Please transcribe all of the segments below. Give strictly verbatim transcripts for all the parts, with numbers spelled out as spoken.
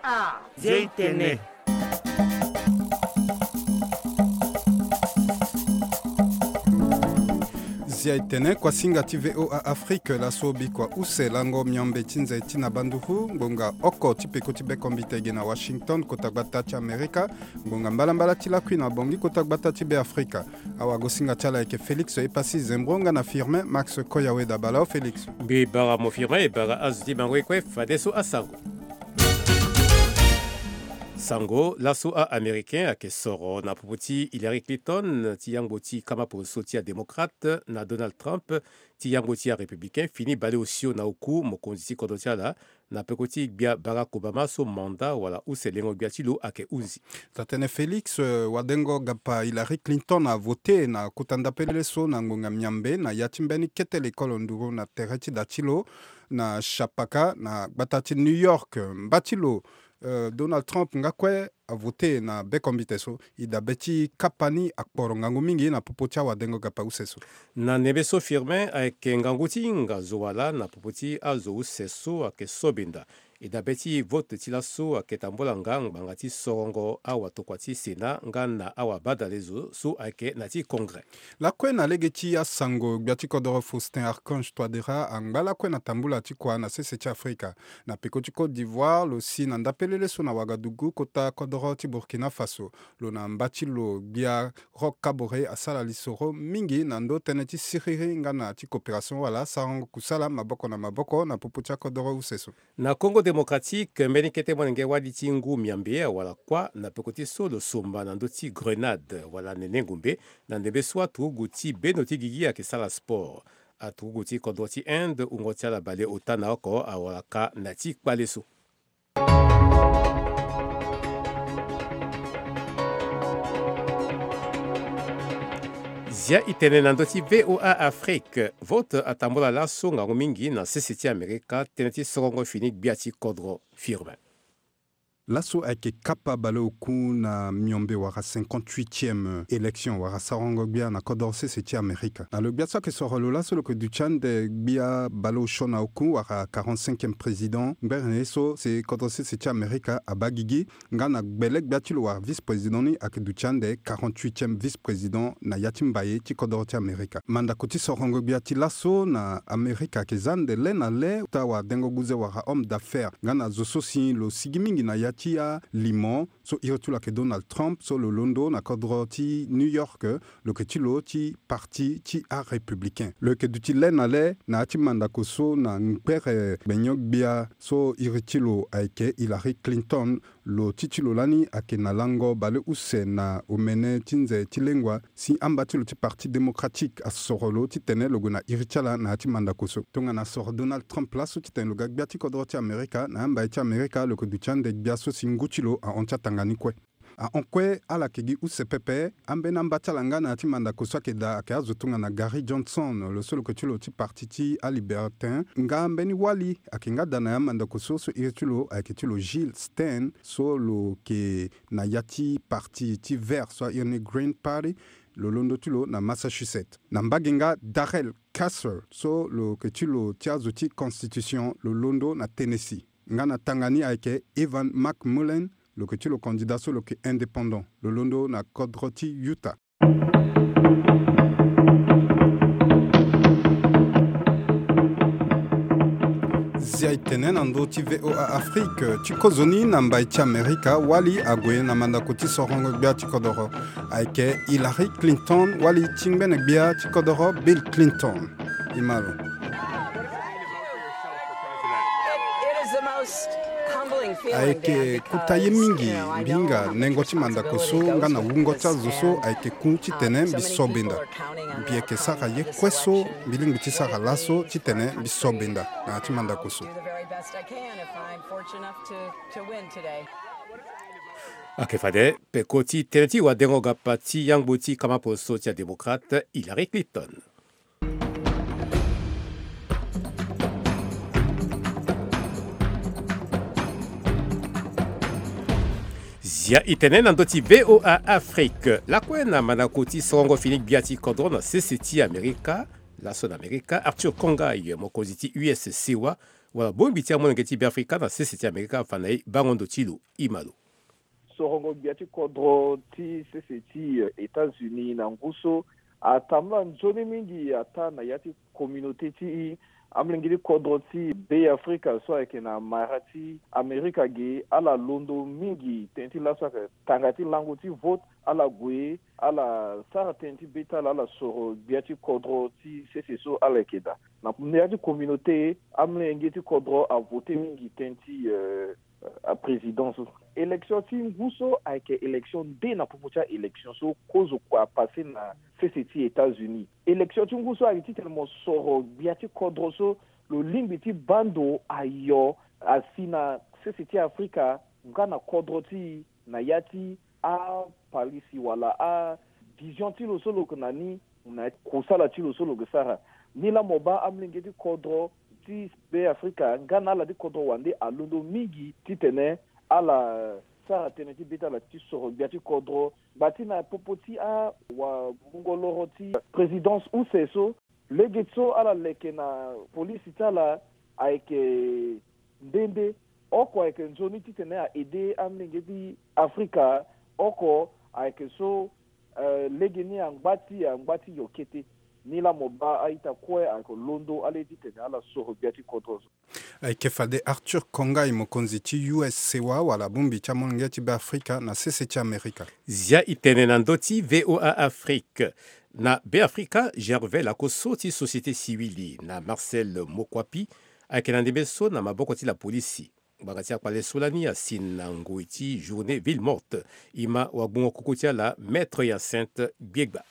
Ah, Zia i tene. Zia i tene, kuasinga ti V O A Afrique, laso bikua use lango miombe ti nze ti na banduru, ngbonga oko ti peko ti bekombite ge na Washington, kota gbata ti Amerika, ngbonga mbalambala ti lakui na Bangui, kota gbata ti Beafrika. Awagosinga ti ala ayeke Félix Epassi Zembro nga na Firmin Max Koyawe. Dabala o Félix. Mbi bara mo Firmin, e bara azo ti mango e kue, fadeso asango. Sango, laso a-Américain ayeke soro na popo ti Hillary Clinton ti yangbo ti kama poso ti a-démocrate na Donald Trump ti yangbo ti a-républicain fini bale osio na oku mokonzi ti kodro ti ala na peko ti gbia Barack Obama so mandat wala use lengo gbia ti lo ayeke hunzi. Taa-tënë Félix, eh, wadengo gapa Hillary Clinton avote na kota ndapelele so na ngonga miambe na ya ti mbeni kete lekolo nduru na tere ti da ti lo na Chapaka na gbata ti New York. Mba ti lo, eh, Donald Trump nga kue avote na bekombite so. E dabe ti kapa ni akporo ngangu mingi na popo ti awadengo gapa use so. Na ndembe so Firmin, ayeke ngangu ti hinga zo wala na popo ti azo use so ayeke so benda. E dabe ti vote ti laso ayeke tambula nga ngbanga ti sorongo awatokua ti Sénat nga na awabadale zo so ayeke na ti Congrès. Lakue na lege ti asango, gbia ti kodoro Faustin Archange Touadéra angba lakue na tambula ti kua na sese ti Afrika. Na peko ti Côte d'Ivoire, lo si na ndapelele so na Ouagadougou, kota kodoro ti Burkina Faso. Lo na mba ti lo gbia Roch Kaboré asara lisoro mingi na ndö tënë ti siriri nga na ti coopération wala sarango kusala maboko na maboko na popo ti akodoro use so. Na Congo Démocratique, mbeni kete molenge wali ti ngu miambe awara kuâ na peko ti so lo somba na ndö ti grenade wala nene ngumbe, na ndembe so aturugu ti bendo ti gigi ayeke sara sport. Aturugu ti kodro ti Inde, wungo ti ala baleota na oko, awara ka na ti kpale so. Zia i tene na ndö ti V O A Afrique. Vote atambula laso ngangu mingi na sese ti Amerika, tënë ti sorongo fini gbia ti kodro Firmin. Laso ayeke kapa baleoku na miombe wala cinquante-huitième élection wala sarango gbia na kodro sese ti Amerika. Na lo gbia so ayeke soro lo laso lo yeke duti ande gbia baleosio na oku wala quarante-cinquième président. Ngbere na ye so si kodro sese ti Amerika abaa gigi, nga na gbele gbia ti lo wala vice-président ni ayeke duti ande quarante-huitième vice-président na ya ti mbaye ti kodro ti Amerika. Mandako ti sorongo gbia ti laso na Amerika ayeke za ande le na le, ota wadengo guze wala homme d'affaires nga na zo so si lo sigi mingi na ya ti alimo, so iri ti lo ayeke Donald Trump, so lo londo na kodro ti New York, lo yeke ti lo ti parti ti arépublicain. Lo yeke duti le na le na ya ti mandako so na ngbere gbenyo-gbia so iri ti lo ayeke Hillary Clinton. Lo ti ti lo lani ayeke na lango baleuse na omene ti nze ti lengua, si amba ti lo ti Parti Démocratique asoro lo titene lo gue na iri ti ala na ya ti mandako so. Tongana asoro Donald Trump laso titene lo ga gbia ti kodro ti Amerika, na amba ye ti Amerika lo yeke duti ande gbia so si ngu ti lo ahon ti atanga ni kue. Ahon kue ala yeke gi use pepe. Ambeni amba ti ala nga na ya ti mandako so ayeke daa ayeke azo tongana Gary Johnson, lo so lo yeke ti lo ti parti ti alibertin, nga mbeni wali ayeke nga daa na ya mandako so, so iri ti lo ayeke ti lo Jill Stein, so lo yeke na ya ti parti ti Vert so airi ni Green Party. Lo londo ti lo na Massachusetts. Na mbage nga Darrell Castle, so lo yeke ti lo ti azo ti constitution, lo londo na Tennessee. Nga na tanga ni ayeke Evan McMullin, lo yeke ti lo candidat so lo yeke indépendant, lo londo na kodro ti Utah. Zia e tene na ndö ti V O A Afrique ti kozoni na mbai ti Amerika, wali ague na mandako ti sorongo gbia ti kodoro. Ayeke Hillary Clinton, wali ti ngbene gbia ti kodoro Bill Clinton. E ma lo. Ayeke kota ye mingi mbi hinga nengo ti mandako so nga na wungo ti azo so ayeke ku titene mbi so benda. Mbi yeke sara ye kue so mbi lingbi ti sara laso titene mbi so benda na ya ti mandako so. Ayeke fade peko ti tënë ti wadengo gapa ti yangbo ti kama poso ti adémocrate Hillary Clinton. Zia e tene na ndö ti V O A Afrique. Lakue na mandako ti sorongo fini gbia ti kodro na sese ti Amerika, laso na Amerika, Arthur Kongaï, mokonzi ti U S C wa, Wala bongbi ti amolenge ti Beafrika na sese ti Amerika afa na e bango ndo ti lo. Ima lo. Sorongo gbia ti kodro ti sese ti eh, États-Unis na ngu so atambula nzoni mingi ata na ya ti communauté ti amolenge ti kodro ti Beafrika so ayeke na mara ti Amerika ge, ala londo mingi tënë ti laso ayeke tanga ti lango ti vote. Ala gue, ala sara tënë ti be ti ala, ala soro gbia ti kodro ti sese so ala yeke daa. Na ya ti communauté, amolenge ti kodro avote mingi tënë ti eh, aprésident so. Élection ti ngu so ayeke élection nde na popo ti aélection so kozo kua apassé na sese ti États-Unis. Élection ti ngu so ayeke titene mo soro gbia ti kodro so lo lingbi ti baa ndo ayo asi na sese ti Afrika nga na kodro ti e na ya ti apalisi wala avision ti lo so lo yeke na ni, na kusala ti lo so lo yeke sara. Ni laa mo baa amolenge ti kodro ti Beafrika nga na ala ti kodro wande alondo mingi titene ala sara tënë ti be ti ala ti soro gbia ti kodro. Ngba ti na popo ti awamungo loro ti présidence use so, lege so ala leke na polisi ti ala ayeke nde nde. Oko ayeke nzoni titene a aidé amolenge ti Afrika. Oko ayeke so eh, legeni angba ti angba ti yo kete. Ni laa mo baa a-ita kue ayeke londo ala ye titene ala soro gbia ti kodro so. Ayeke fade Arthur Kongai, mokonzi ti U S sewa wala bongbi ti amolenge ti Beafrika na sese ti Amerika. Zia e tene na ndö ti V O A Afrique. Na Beafrika, Gervais Lakoso ti société civile na Marcel Mokwapi ayeke na ndembe so na maboko ti lapolisi. Ngbanga ti akpale so lani asi na ngoi ti journée ville morte. Ima wagbongo koko ti ala, Maître Hyacinthe Gbiegba.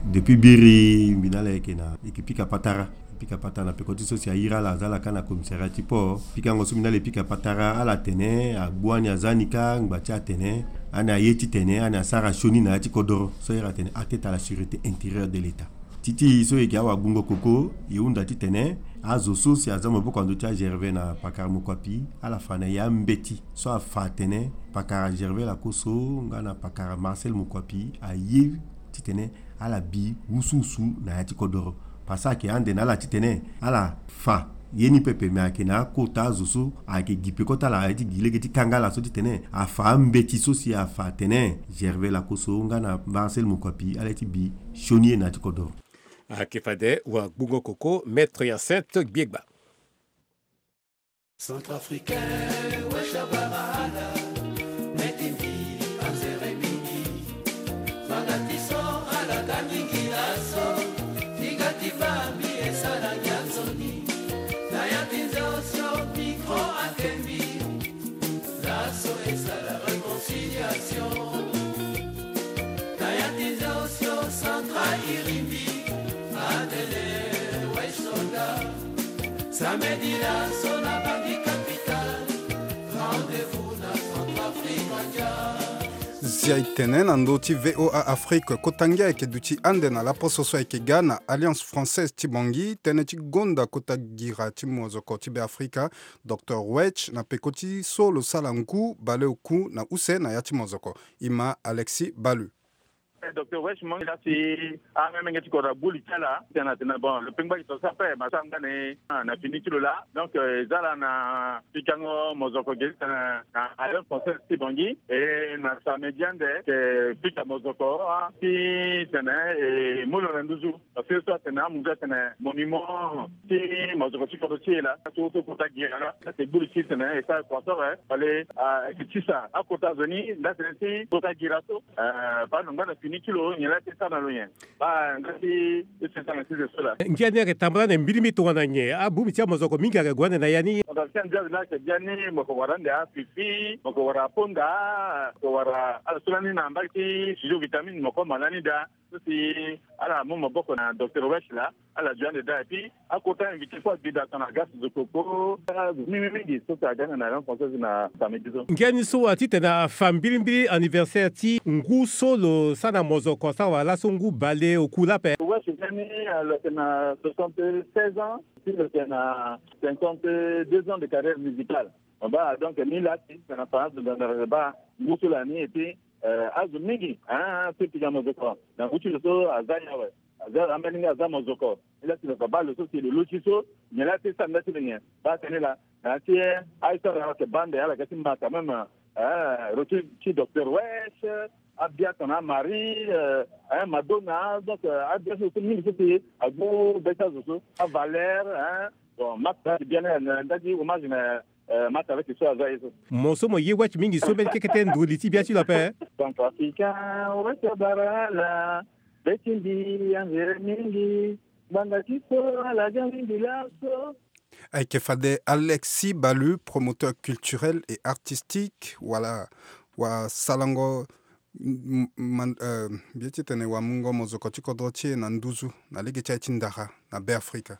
Depuis biri mbi na ala yeke na, yeke pika patara, pika patara na peko ti so si ayiri ala, aza ala kâ na commissariat ti port. Pikango so mbi na ala e pika patara, ala tene agbu ani aza ni kâ, ngba ti atene ani aye titene ani asara sioni na ya ti kodoro. So ayere atene atteinte à la sûreté intérieure de l'État. Ti ti so e yeke awagbongo koko, e hunda titene azo so si aza maboko na ndö ti aGervais na pakara Mokwapi, ala fa na e ambeti so afa atene pakara Gervais Lakoso nga na pakara Marcel Mokwapi aye titene ala bi wusuwusu na ya ti kodoro. Parce que ayeke ande na ala titene ala fa ye ni pepe, me ayeke na akota azo so ayeke gi peko ti ala, aye ti gi lege ti kanga ala so titene afa ambeti so si afa atene Gervais Lakoso nga na Marcel Mokwapi ala ye ti bi sioni ye na ya ti kodoro. Ayeke fade wagbongo koko, Maître Hyacinthe Gbiegba. Centrafricain, wesh abara ala, meti mbi anzere mingi. Fanga ti so ala ga mingi laso, ti ga ti baa mbi esara gi ansoni. Na ya ti nze osio micro ake mbi, laso esara réconciliation. Na ya ti nze osio centra iri mbi, atene wesh soda. Samedi laso na bandi capital, rendez-vous na Centrafrique ndia. Zia e tene na ndö ti V O A Afrique, kota ngia ayeke duti ande na laposo so ayeke ga na Alliance Française ti Bangui, tënë ti gonda kota gira ti mozoko ti Beafrika, Docteur Wech, na peko ti so lo sala ngu baleoku na use na ya ti mozoko. Ima Alexis Balu. Eh, Docteur Wech, mo ngia si amemenge ti kodro agbu li ti ala, tena tena, bon, lo pengba gi to sa ape, ma sa nga ni, ah, na fini ti lo laa. Donc, eh, e za ala na pikango mozoko ge ti tena na Alliance Française ti Bangui, e na samedi ande, e pika mozoko, ah, ti tene, e mu lo na nduzu. Parce que so atene amu nzoni atene monument ti mozoko ti kodro ti e laa. So so kota gira laa. Laa si e gbu li ti tene e sara croissant, eh, fallait, ah, e tisa akota zo ni, laa tene ti kota gira so. Eh, baa lo ngba na fini ti lo nyen laa ti e sara na lo nyen. Baa nga ti e sara na ti zo so laa. Ngia ni ayeke tambula ande mbirimbiri tongana nyen? Abongbi ti amozoko mingi ayeke gue ande na ya ni. Mozoko ti ande laa ayeke bia ni, mo yeke wara ande afifi, mo yeke wara aponda, mo yeke wara ala so lani na mbage ti studio vitamine, mo yeke ma lani daa. So si ala mu maboko na Docteur Wech laa, ala zo ande daa. Et puis akota invité kue abi daa tongana Gas Zokoko, azo mingi mingi so si aga na Alliance Française na samedi so. Ngia ni so wa titene afa mbirimbiri anniversaire ti ngu so lo sara na mozoko asara wala laso ngu baleoku laa ape. Wech ngia ni, ah, lo yeke na soixante-seize ans, si lo yeke na cinquante-deux ans de carrière musicale. Mo baa, donc ni laa si tena fa azo ngangu baa ngu so lani, et puis, eh, azo mingi, ah, so e pika mozoko na ngu ti lo so aza ni awe. Aza ambeni nga aza mozoko. Ila ti lo ka baa lo so si lo luti so nyen la ti sara nda ti lo nyen. Baa tene la na ti aye so ala yeke baa ande ala ga ti ma quand même. Retour ti docteur Wesh, abia tongana Marie, Madonna, donc abia so so mingi so si agu be ti azo so, aValère. Bon, ma tara ti bien na nda ti hommage na ma tara ti so aza ye so. Mo so mo ye Wesh mingi so mbeni kekete nduru li ti bia ti lo ape. Centrafricain Wesh abara ala be ti mbi anzere mingi. Ngbanga ti so ala ga mingi laso. Ayeke fade Alexis Balu, promoteur culturel et artistique, wala wasalango, m- m- man- euh, mbi ye ti tene wamungo mozoko ti kodro ti e na nduzu na lege ti aye ti ndara na Beafrika.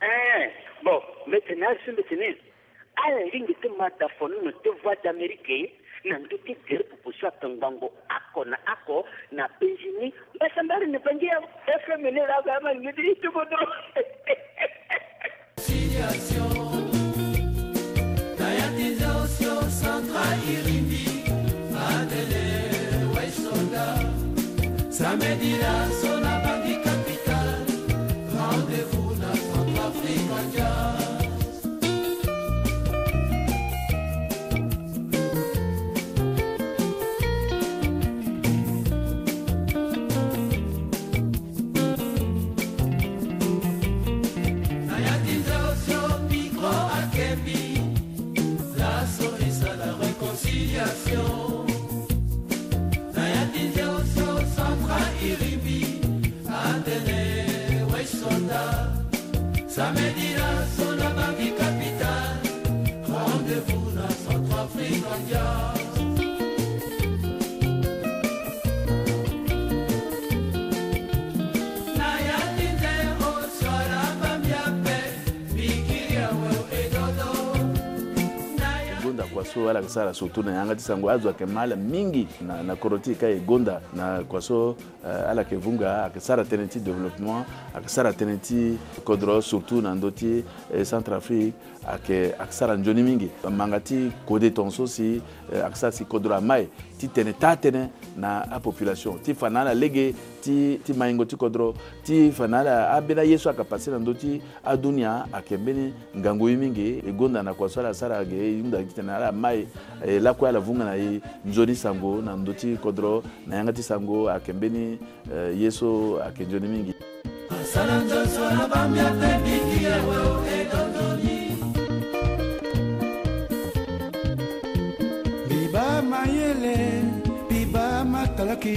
Eh, bon, mbi tene azo so mbi tene ala lingbi ti ma dafonono ti Voix d'Amérique na ndö ti gere popo so atongbango oko na oko na Benjini. Mbasambari na Bangi ya F M ni la ga ma ngidiri ti kodro. Conciliation. Na ya ti nze osio central irimbi. Atene Wesh Sonda. Samedi laso na Bangi capitale. Rendez-vous na Centrafrique Jazz. Na ya ti nze osio micro akembi. Laso esala réconciliation. Na ya ti nze osio central irimbi. Atene Wesh Sonda. Samedi laso na Bangi capitale. Rendez-vous na Centrafrique Jazz. Na ya ti nze osio ala baa mbi ape. Gonda kua so ala yeke sara surtout na yanga ti sango, azo ayeke ma ala mingi na, na kodro ti e ka e gonda na kua so, eh, ala yeke vunga, ayeke sara tënë ti développement, ayeke sara tënë ti kodro surtout na ndö ti, eh, Centrafrique, ayeke, ayeke sara nzoni mingi. Manga ti kode tongaso si, eh, ayeke sara si kodro ama e ti tene taa tënë na apopulation ti fa na ala lege ti, ti maingo ti kodro, ti fa na ala ambeni aye so ayeke passe na ndö ti adunia ayeke mbeni ngangu ye mingi. E gonda na kua so ala sara ge, e hunda gi titene ala ma e, e lakue ala vunga na e nzoni sango na ndö ti kodro, na yanga ti sango ayeke mbeni, eh, ye so ayeke nzoni mingi. Asala nzoni so ala baa mbi ape mbi gi awe o e do nzoni. Mbi baa mayele, mbi baa matalaki,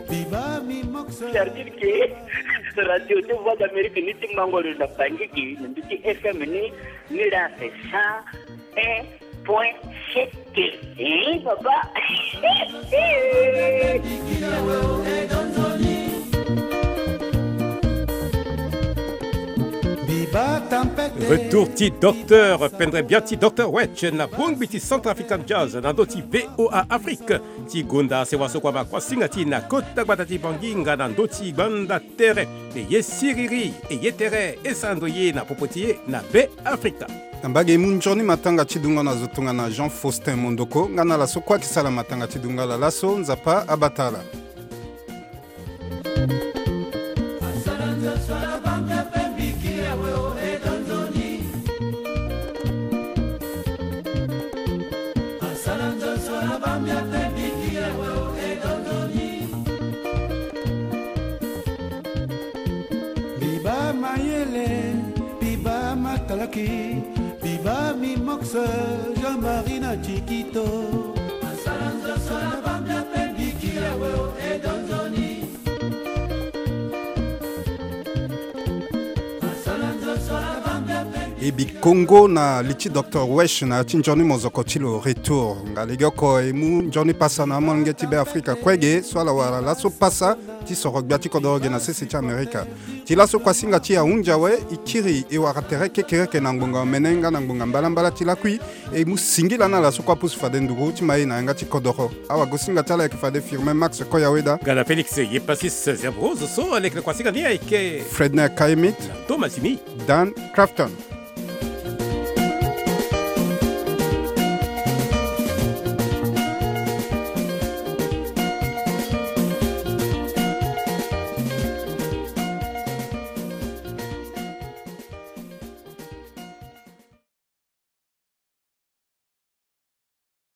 mbi baa mbi mokso. C'est-à-dire que Radio de Voix d'Amérique ni ti mango lo na Bangi gi na ndö ti F M ni, ni la c'est cent un point sept. Eh, papa. Retour ti docteur Pendre Biati, docteur Wesh na bongbi ti Centrafrican Jazz na ndö ti V O A Afrique. Ti gonda sewa so kua ma kuasinga ti e na kota gbata ti Bangi nga na ndö ti gbanda tere. E ye siriri, e ye tere, e sara ndo ye na popo ti e na Beafrika. Na mbage e mu nzoni matanga ti dungo na zo tongana Jean Faustin Mondoko, nga na ala so kue ayeke sara matanga ti dungo ala laso, Nzapa abata ala. Biba mayele, biba matalaki, biba mimox, Jean-Marie na Chikito. Asala nzoso na bambia pe biki awe o e donzoni. Asala nzoso na bambia pe. E bikongo na li ti docteur Wesh na ya ti nzoni mozoko ti lo retour. Nga legeoko e mu nzoni pasa na amolenge ti Beafrika kue ge so ala wara laso pasa ti soro gbia ti kodoro ge na sese ti Amerika. Ti laso kuasinga ti e ahunzi awe, e kiri e wara tere kekereke na ngbonga omene nga na ngbonga mbalambala ti lakui. E mu singila na ala so kue apusu fade nduru ti ma e na yanga ti kodoro. Awagosinga ti ala ayeke fade Firmin Max Koyaweda. Nga na Félix Yepasis Zerbrose so aleke na kuasinga ni ayeke Fredner Kaimit. Na Thomasini. Dan Crafton.